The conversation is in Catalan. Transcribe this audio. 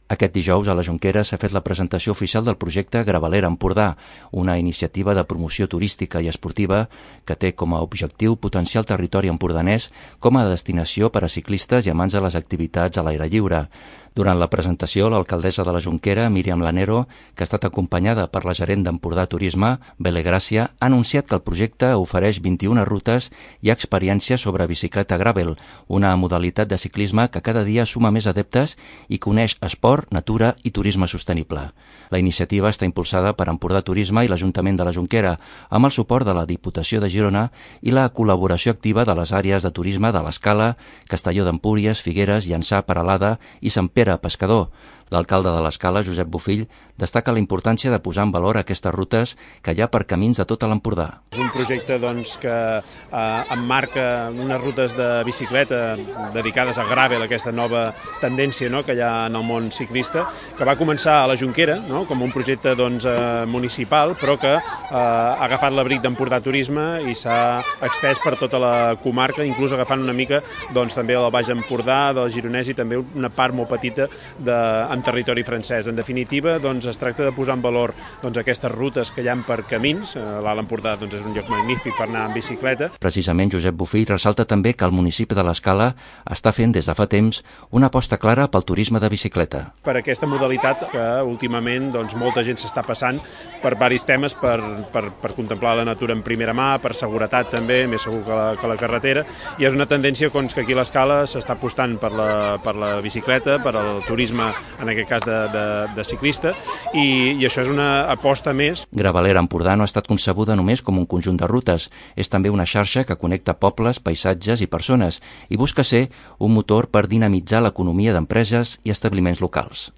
Aquest dijous a la Jonquera s'ha fet la presentació oficial del projecte Gravelera Empordà, una iniciativa de promoció turística i esportiva que té com a objectiu potenciar el territori empordanès com a destinació per a ciclistes i amants de les activitats a l'aire lliure. Durant la presentació, l'alcaldessa de la Jonquera, Míriam Lanero, que ha estat acompanyada per la gerent d'Empordà Turisme, Bele Gràcia, ha anunciat que el projecte ofereix 21 rutes i experiències sobre bicicleta gravel, una modalitat de ciclisme que cada dia suma més adeptes i que uneix esport, natura i turisme sostenible. La iniciativa està impulsada per Empordà Turisme i l'Ajuntament de la Jonquera, amb el suport de la Diputació de Girona i la col·laboració activa de les àrees de turisme de l'Escala, Castelló d'Empúries, Figueres, Llançà, Peralada i Sant Pere Pescador. L'alcalde de l'Escala, Josep Bofill, destaca la importància de posar en valor aquestes rutes que hi ha per camins de tota l'Empordà. És un projecte que emmarca unes rutes de bicicleta dedicades a gravel, aquesta nova tendència que hi ha en el món ciclista, que va començar a la Jonquera com un projecte municipal, però que ha agafat l'abric d'Empordà Turisme i s'ha extès per tota la comarca, inclús agafant una mica també del Baix Empordà, del Gironès i també una part molt petita en territori francès. En definitiva, es tracta de posar en valor aquestes rutes que hi ha per camins. L'Alt Empordà és un lloc magnífic per anar en bicicleta. Precisament Josep Bofill ressalta també que el municipi de l'Escala està fent des de fa temps una aposta clara pel turisme de bicicleta. Per aquesta modalitat que últimament molta gent s'està passant per diversos temes, per contemplar la natura en primera mà, per seguretat també, més segur que la carretera, i és una tendència que aquí a l'Escala s'està apostant per la bicicleta, per al turisme, en aquest cas de ciclista, i això és una aposta més. Gravelera Empordà no ha estat concebuda només com un conjunt de rutes, és també una xarxa que connecta pobles, paisatges i persones i busca ser un motor per dinamitzar l'economia d'empreses i establiments locals.